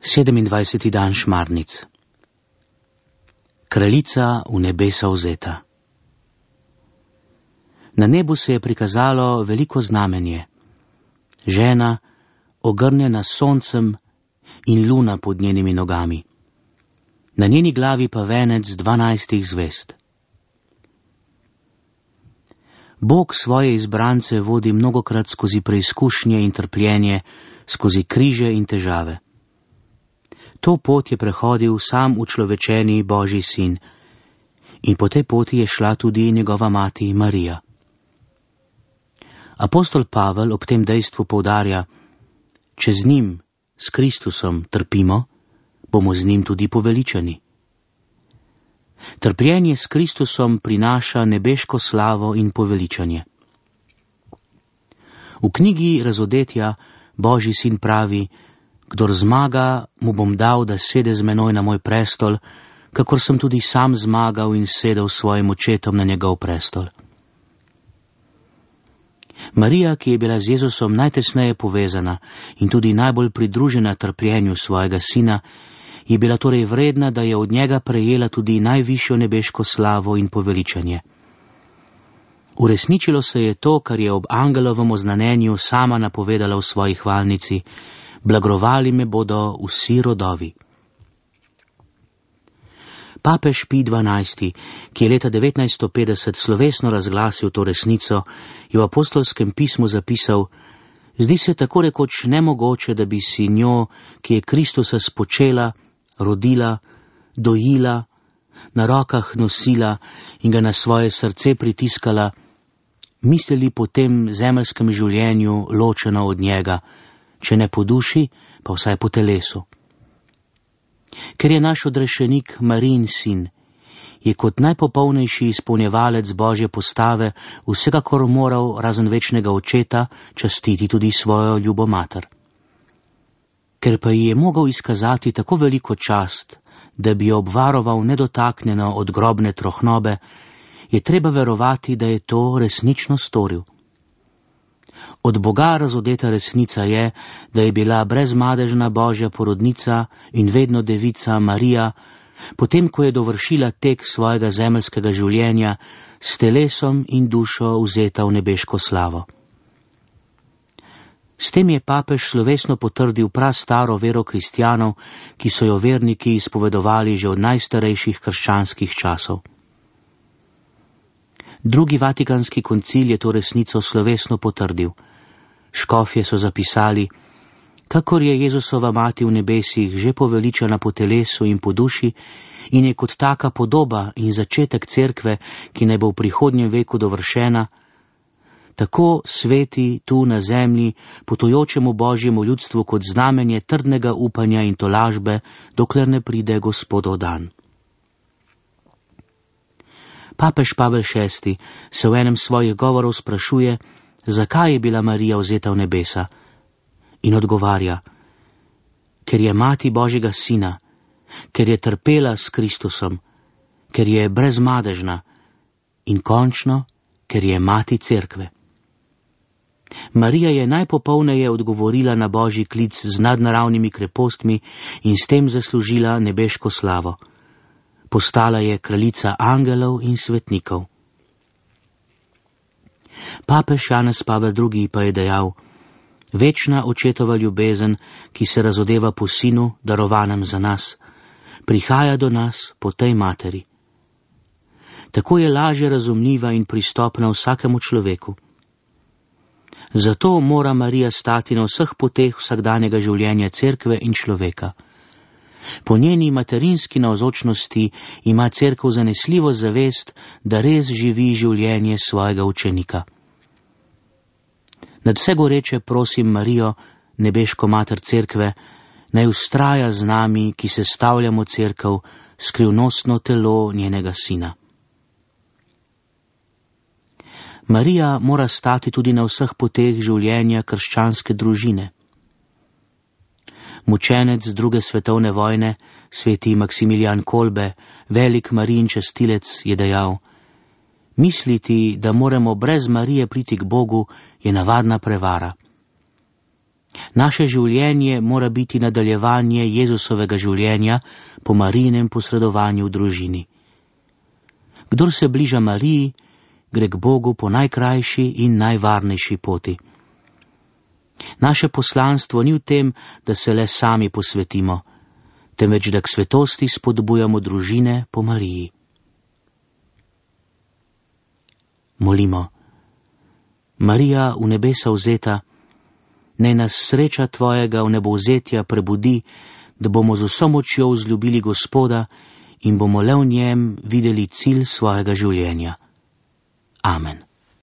27. dan Šmarnic. Kraljica v nebesa vzeta. Na nebu se je prikazalo veliko znamenje. Žena, ogrnjena s soncem, in luna pod njenimi nogami. Na njeni glavi pa venec 12 zvezd. Bog svoje izbrance vodi mnogokrat skozi preizkušnje in trpljenje, skozi križe in težave. To pot je prehodil sam učlovečeni Božji sin in po tej poti je šla tudi njegova mati Marija. Apostol Pavel ob tem dejstvu poudarja, če z njim, s Kristusom, trpimo, bomo z njim tudi poveličani. Trpljenje s Kristusom prinaša nebeško slavo in poveličanje. V knjigi Razodetja Božji sin pravi, kdor zmaga, mu bom dal, da sede z menoj na moj prestol, kakor sem tudi sam zmagal in sedel s svojim očetom na njegov prestol. Marija, ki je bila z Jezusom najtesneje povezana in tudi najbolj pridružena trpljenju svojega sina, je bila torej vredna, da je od njega prejela tudi najvišjo nebeško slavo in poveličanje. Uresničilo se je to, kar je ob angelovem oznanenju sama napovedala v svoji hvalnici: blagrovali me bodo vsi rodovi. Papež Pij XII., ki je leta 1950 slovesno razglasil to resnico, je v apostolskem pismu zapisal: zdi se tako rekoč nemogoče, da bi si njo, ki je Kristusa spočela, rodila, dojila, na rokah nosila in ga na svoje srce pritiskala, mislili po tem zemeljskem življenju ločeno od njega, če ne po duši, pa vsaj po telesu. Ker je naš odrešenik Marijin sin, je kot najpopolnejši izpolnjevalec Božje postave vsekakor moral razen večnega očeta častiti tudi svojo ljubo mater. Ker pa ji je mogel izkazati tako veliko čast, da bi jo obvaroval nedotaknjeno od grobne trohnobe, je treba verovati, da je to resnično storil. Od Boga razodeta resnica je, da je bila brezmadežna Božja porodnica in vedno devica Marija, potem ko je dovršila tek svojega zemeljskega življenja, s telesom in dušo vzeta v nebeško slavo. S tem je papež slovesno potrdil prastaro vero kristjanov, ki so jo verniki izpovedovali že od najstarejših krščanskih časov. Drugi vatikanski koncil je to resnico slovesno potrdil. Škofje so zapisali: kakor je Jezusova mati v nebesih že poveličana po telesu in po duši in je kot taka podoba in začetek cerkve, ki naj bo v prihodnjem veku dovršena, tako sveti tu na zemlji potujočemu Božjemu ljudstvu kot znamenje trdnega upanja in tolažbe, dokler ne pride Gospodov dan. Papež Pavel VI. Se v enem svojih govorov sprašuje, zakaj je bila Marija vzeta v nebesa, in odgovarja: ker je mati Božjega sina, ker je trpela s Kristusom, ker je brezmadežna in končno, ker je mati cerkve. Marija je najpopolneje odgovorila na Božji klic z nadnaravnimi krepostmi in s tem zaslužila nebeško slavo. Postala je kraljica angelov in svetnikov. Papež Janez Pavel II. Pa je dejal: večna očetova ljubezen, ki se razodeva po sinu, darovanem za nas, prihaja do nas po tej materi. Tako je lažje razumljiva in pristopna vsakemu človeku. Zato mora Marija stati na vseh poteh vsakdanjega življenja cerkve in človeka. Po njeni materinski navzočnosti ima cerkev zanesljivo zavest, da res živi življenje svojega učenika. Nad vse goreče prosim Marijo, nebeško mater cerkve, naj vztraja z nami, ki sestavljamo cerkev, skrivnostno telo njenega sina. Marija mora stati tudi na vseh poteh življenja krščanske družine. Mučenec druge svetovne vojne, sveti Maksimilijan Kolbe, velik Marijin častilec, je dejal: misliti, da moramo brez Marije priti k Bogu, je navadna prevara. Naše življenje mora biti nadaljevanje Jezusovega življenja po Marijinem posredovanju v družini. Kdor se bliža Mariji, gre k Bogu po najkrajši in najvarnejši poti. Naše poslanstvo ni v tem, da se le sami posvetimo, temveč da k svetosti spodbujamo družine po Mariji. Molimo. Marija, v nebesa vzeta, naj nas sreča tvojega vnebovzetja prebudi, da bomo z vso močjo vzljubili Gospoda in bomo le v njem videli cilj svojega življenja. Amen.